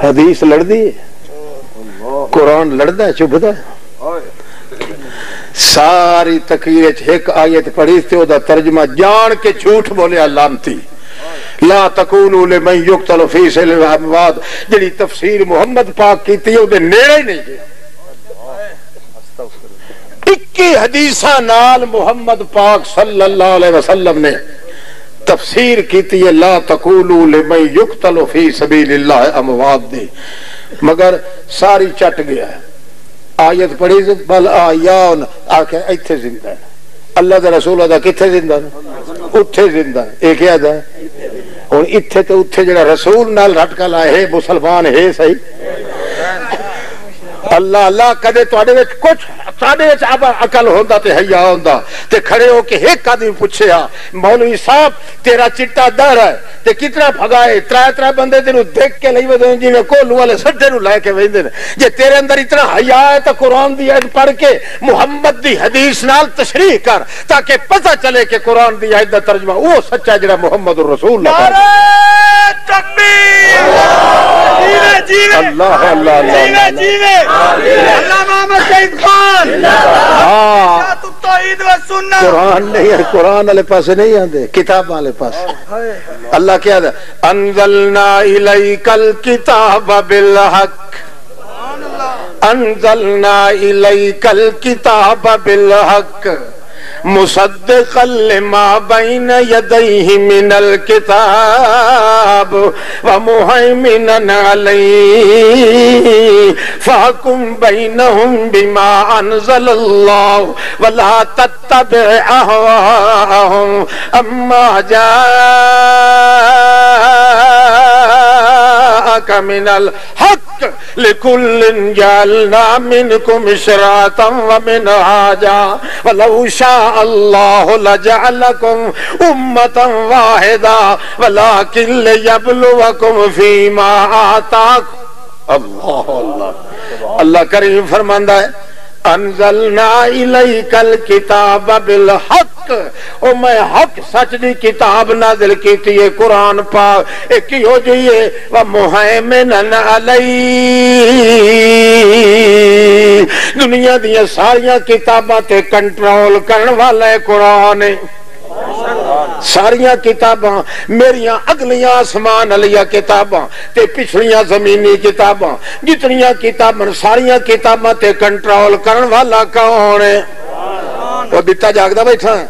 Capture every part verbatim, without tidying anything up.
حدیث لڑدی ہے، قرآن لڑدا ہے، چبھدا ہے۔ ساری تقریر وچ ایک آیت پڑھی تے او دا ترجمہ جان کے جھوٹ بولیا، لعنتی۔ لا تقولوا لمن يقتل في سبيل الأموات، جڑی تفسیر محمد پاک کیتی ہے، او دے نیڑے ہی نہیں گیا۔ اکی حدیثاں نال محمد پاک صلی اللہ علیہ وسلم نے تفسیر کیتی ہے، لا تقولوا لمن يقتل في سبيل الله اموات دی، مگر ساری چٹ گیا ہے۔ آیت پڑھی سی، بل احیاء، آخر ایتھے زندہ ہے۔ اللہ دے رسول دا کتھے زندہ نے؟ اتھے زندہ نے۔ اے کیا دا؟ ہن اتھے تے اتھے جڑا رسول نال رٹ کے لائے، ہے مسلمان ہے صحیح؟ اللہ، اللہ، کدے تواڈے وچ کچھ، تواڈے وچ اب عقل ہوندا تے حیا ہوندا تے کھڑے ہو کے ایک آدمی پوچھے ہا، "مولوی صاحب، تیرا چٹا دہر ہے تے کتنا پھگا ہے؟" ترے ترے بندے تینوں دیکھ کے لئی ودے جویں کولو والے سٹے نوں لے کے ویندے نے۔ جے تیرے اندر اتنا حیا ہے تاں قرآن دی آیت پڑھ کے محمد دی حدیث نال تشریح کر، تاکہ پتہ چلے کہ قرآن دی آیت دا ترجمہ وہ سچا ہے جڑا محمد الرسول اللہ نعرہ تکبیر! جیوے، جیوے! اللہ، اللہ، اللہ، جیوے، اللہ۔ جیوے! اللہ محمد شہید خان! ہاں۔ ذات التوحید و سنت! قرآن نہیں ہے، قرآن والے پاسے نہیں آندے، کتاباں والے پاسے۔ اللہ کیا دا؟ انزلنا الیک الکتاب بالحق۔ انزلنا الیک الکتاب بالحق مصدقا لما بین یدیہ من الکتاب ومہیمنا علیہ فاحکم بینہم بما انزل اللہ ولا تتبع اہواءہم عما جاءک من الحق لکل جعلنا منکم شرعة ومنہاجا ولو شاء اللہ لجعلکم امة واحدة ولکن لیبلوکم فیما آتاکم۔ اللہ، اللہ، اللہ کریم فرماندا ہے، انزلنا الیک الکتاب بالحق، او میں حق سچ دی کتاب نازل کیتی ہے، قرآن پاک، اے کیہو جئی ہے؟ ومہیمنا علیہ، دنیا دیاں ساریاں کتاباں تے کنٹرول کرن والا ہے قرآن ہے۔ ساریاں کتاباں میریاں، اگلیاں آسمان والیاں کتاباں تے پچھلیاں زمینی کتاباں، جتنیاں کتاباں، ساریاں کتاباں تے کنٹرول کرن والا کون ہے؟ وہ بتا جاگدا بیٹھا ہے۔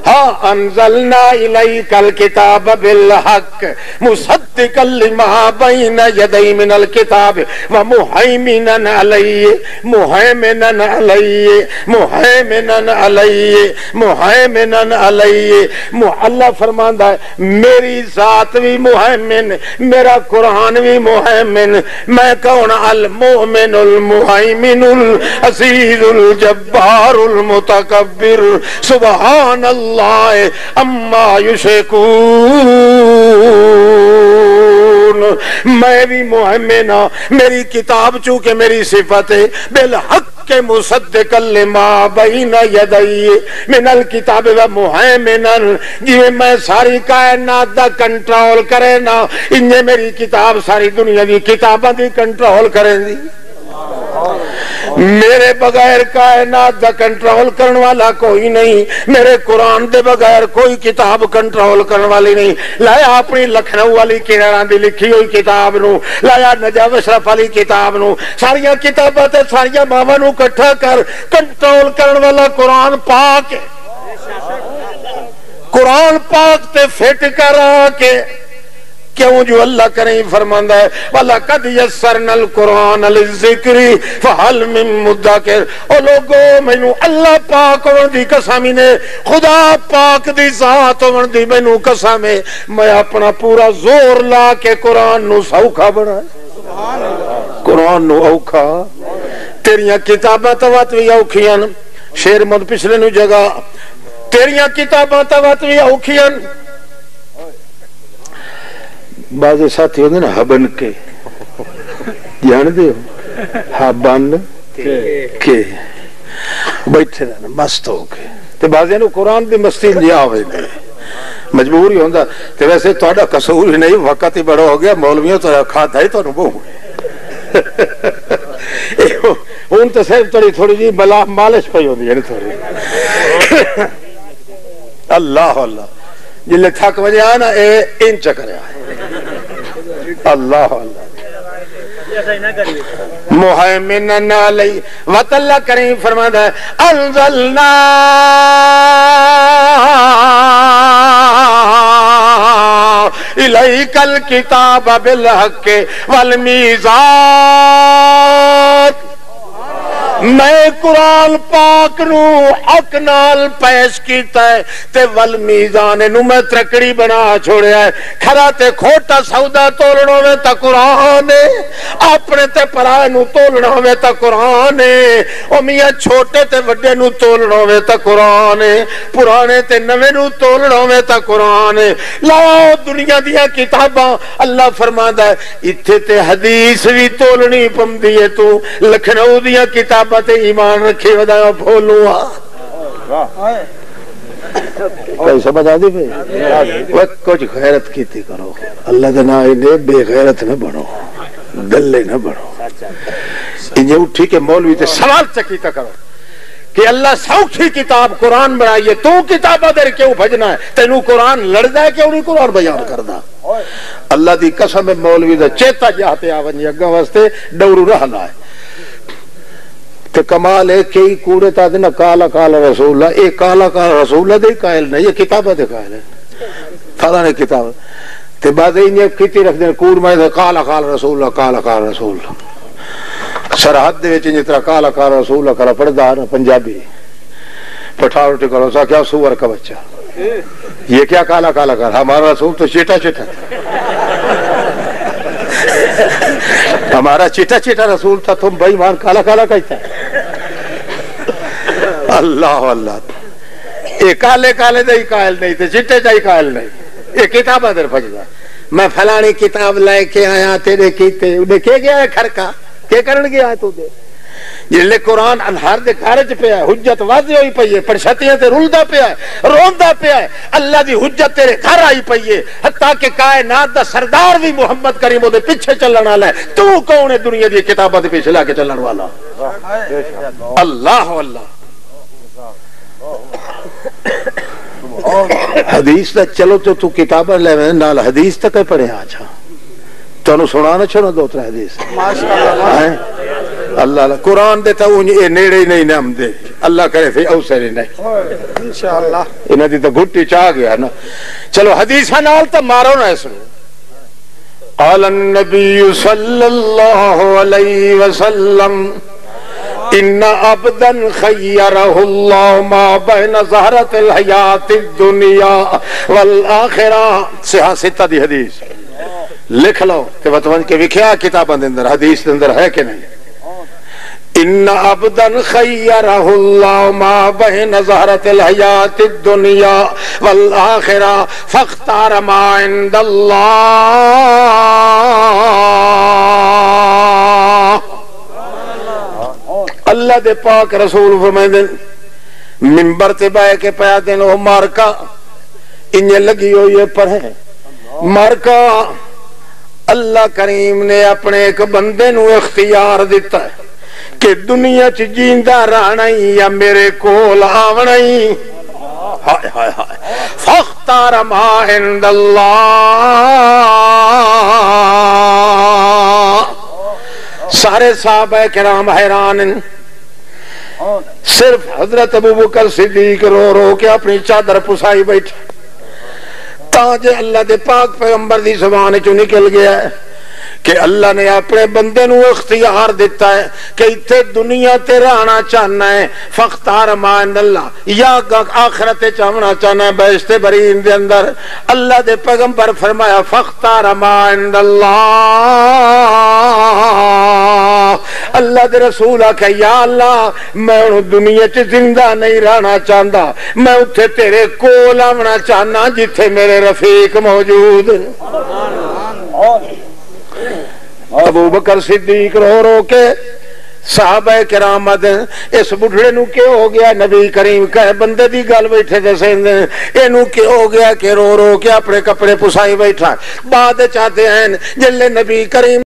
ہاں، انزلنا الیک الکتاب بالحق مصدقا لما بین یدیہ من الکتاب ومہیمنا علیہ، مہیمنا علیہ، مہیمنا علیہ، مہیمنا علیہ۔ مو-، اللہ فرماندا ہے، میری ذات بھی مہیمن، میرا قرآن بھی مہیمن۔ میں کون؟ المؤمن المہیمن العزیز الجبار المتکبر، سبحان اللہ عما یشرکون۔ میں بھی مہیمن ہاں، میری کتاب چونکہ میری صفت ہے، بالحق مصدقا لما بین یدیہ من الکتاب و مہیمنا، جویں میں ساری کائنات دا کنٹرول کرے نا، انجے میری کتاب ساری دنیا دی کتاباں دی کنٹرول کرے دی۔ میرے بغیر کائنات دا کنٹرول کرن والا کوئی نہیں، میرے قرآن دے بغیر کوئی کتاب کنٹرول کرن والی نہیں۔ لایا اپنی لکھنؤ والی کراناں دی لکھی ہوئی کتاب نو، لایا نجف اشرف والی کتاب نو، ساریاں کتاباں تے ساریاں ماواں نو اکٹھا کر کنٹرول کرن والا قرآن پاک ہے۔ قرآن پاک تے فٹ کر آ کے، کیوں جو اللہ کریم فرماندا ہے، "وَلَقَدْ يَسَّرْنَا الْقُرْآنَ لِلذِّكْرِ فَهَلْ مِن مُّدَّكِرٍ۔" او لوگو، مینوں اللہ پاک ہون دی قسم ہی نے، خدا پاک دی ذات ہون دی مینوں قسم ہے، میں اپنا پورا زور لا کے قرآن نو سوکھا بنایا۔ قرآن نو اوکھا۔ تیریاں کتاباں تو وت بھی اوکھیاں۔ شیر مند پچھلے نو جگہ، تیریاں کتاباں تو وت بھی اوکھیاں۔ بعض ساتھی ہوندے نا ہبن کے، جان دے ہو؟ ہبن کے۔ بیٹھے رہنا مست ہو کے۔ تے بعضیاں نوں قرآن دی مستی نہیں آوے دے۔ مجبور ہی ہوندا۔ تے ویسے تہاڈا قصور ہی نہیں، وقت ہی بڑا ہو گیا، مولویوں تو کھادا ہی تانوں بہوں۔ ہن تو صرف تھوڑی، تھوڑی جی بلا مالش پئی ہوندی ہے نا تھوڑی۔ اللہ اللہ، جلے تھک وجے آ نا، اے انچ کریا۔ اللہ اللہ۔ مہیمن علی، وت اللہ کریم فرماندا ہے، انزلنا الیک الکتاب بالحق والمیزان۔ میں قرآن پاک نو حق نال پیش کیتا ہے، تے والمیزان نو میں ترکڑی بنا چھوڑیا ہے۔ کھرا تے کھوٹا سودا تولنا ہوے تاں قرآن ہے، اپنے تے پرائے نو تولنا ہوے تاں قرآن ہے۔ او میاں، چھوٹے تے وڈے نو تولنا ہوے تاں قرآن ہے، پرانے تے نویں نو تولنا ہوے تاں قرآن ہے۔ لاؤ دنیا دیاں کتاباں، اللہ فرماندا ہے، اتھے تے حدیث وی تولنی پمدی ہے۔ تو لکھنؤ دیاں کتاباں تے ایمان رکھے ودا بھولو آ۔ کوئی سمجھ آندی پئی؟ وہ کچھ غیرت کیتی کرو۔ اللہ دے نام نے بے غیرت نہ بنو، دلے نہ بنو۔ انجے اٹھی کے مولوی تے سوال چکیتا کرو کہ اللہ سوکھی کتاب قرآن بنائی ہے، تو کتاباں دے کیوں بھجنا ہے؟ تینوں قرآن لڑدا ہے، کیوں نہیں قرآن بیان کردا؟ اللہ دی قسم ہے، مولوی دا چیتا جا تے آ ونجے اگاں واسطے ڈورو رہ لائے۔ تے کمال ہے، کئی کوڑے تا دے نا کالا کالا رسول اللہ، اے کالا کالا رسول اللہ دے ہی قائل نہیں، یہ کتاباں دے قائل ہے۔ فلاں نے کتاب تے بعد انہیں کیتی رکھ دے کوڑ میں دے کالا کالا رسول اللہ، کالا کالا رسول اللہ۔ سرحد دے وچ جس طرح کالا کالا رسول اللہ کالا پڑھدا نا پنجابی، پٹھان اٹھ کرو سا کیا سور کا بچہ، یہ کیا کالا کالا کر، ہمارا رسول تو چیٹا چیٹا تھا۔ ہمارا چیٹا چیٹا رسول تھا، تم بے ایمان کالا کالا کہتا ہے۔ اللہ اللہ، یہ کالے کالے دا ہی قائل نہیں تے چٹے دا ہی قائل نہیں۔ یہ کتاباں در بھجدا، میں فلانی کتاب لے کے آیا تیرے کیتے، انہیں کہہ گیا ہے کھڑکا، کیا کرن گیا ہے تو دے؟ جلے قرآن انہار دے گھر چ پیا ہے، حجت واضح ہوئی پئی ہے، پرشتیاں تے رلدا پیا ہے، روندا پیا ہے، اللہ دی حجت تیرے گھر آئی پئی ہے، حتیٰ کہ کائنات دا سردار بھی محمد کریم دے پیچھے چلن والا ہے۔ تو کون ہے دنیا دی کتاباں دے پیچھے لا کے چلن والا؟ اللہ اللہ۔ حدیث دا چلو تو تو کتاباں لے میں نال حدیث تک پڑھے آ جا۔ تانوں سنا نہ چھوڑا دو ترے حدیث۔ ہیں؟ اللہ اللہ، قرآن دے تاں اونج اے نیڑے ہی نہیں نہ آمدے۔ اللہ کرے فی اوسر ہی نہیں۔ انشاءاللہ۔ انہاں دی تاں گھٹی چ آ گیا نا۔ چلو حدیثاں نال تاں مارو نہ اس نوں۔ قال النبی صلی اللہ علیہ وسلم، ان عبدا خیرہ اللہ ما بین زہرۃ الحیات الدنیا والآخرہ۔ صحاح ستہ دی حدیث۔ لکھ لو تے وت ونج کے وکھیا کتاباں دے اندر، حدیث دے اندر ہے کہ نہیں؟ ان عبدا خیرہ اللہ ما بین زہرۃ الحیات الدنیا والآخرہ فاختار ما عند اللہ۔ اللہ دے پاک رسول فرمائندے، ممبر تے بہ کے پیا دین او مارکا انجے لگی ہوئی ہے پر ہے۔ مارکا اللہ کریم نے اپنے ایک بندے نو اختیار دتا ہے کہ دنیا چ جیندا رہنا ہی یا میرے کول آونا ہی۔ ہائے ہائے ہائے۔ فاختار ما عند اللہ۔ سارے صحابہ کرام حیران ہیں۔ صرف حضرت ابو بکر صدیق رو رو کے اپنی چادر پسائی بیٹھے۔ تاں جے اللہ دے پاک پیغمبر دی زبان چوں نکل گیا ہے کہ اللہ نے اپنے بندے نو اختیار دتا ہے کہ اتھے دنیا تے رہنا چاہنا ہے، فاختار ما عند اللہ، یا آخرت چ آونا چاہنا ہے بہشت برین دے اندر۔ اللہ دے پیغمبر فرمایا، فاختار ما عند اللہ۔ اللہ دے رسول آکھیا، یا اللہ، میں ہن دنیا چ زندہ نہیں رہنا چاہندا، میں اتھے تیرے کول آونا چاہنا جتھے میرے رفیق موجود۔ ابو بکر صدیق رو رو کے، صحابہ کرام آدھے، اس بڈھڑے نو کی ہو گیا؟ نبی کریم کہے، بندے دی گل بیٹھے دسے، اینو کی ہو گیا کہ رو رو کے اپنے کپڑے پسائی بیٹھا؟ بعد چاہتے ہیں جلے نبی کریم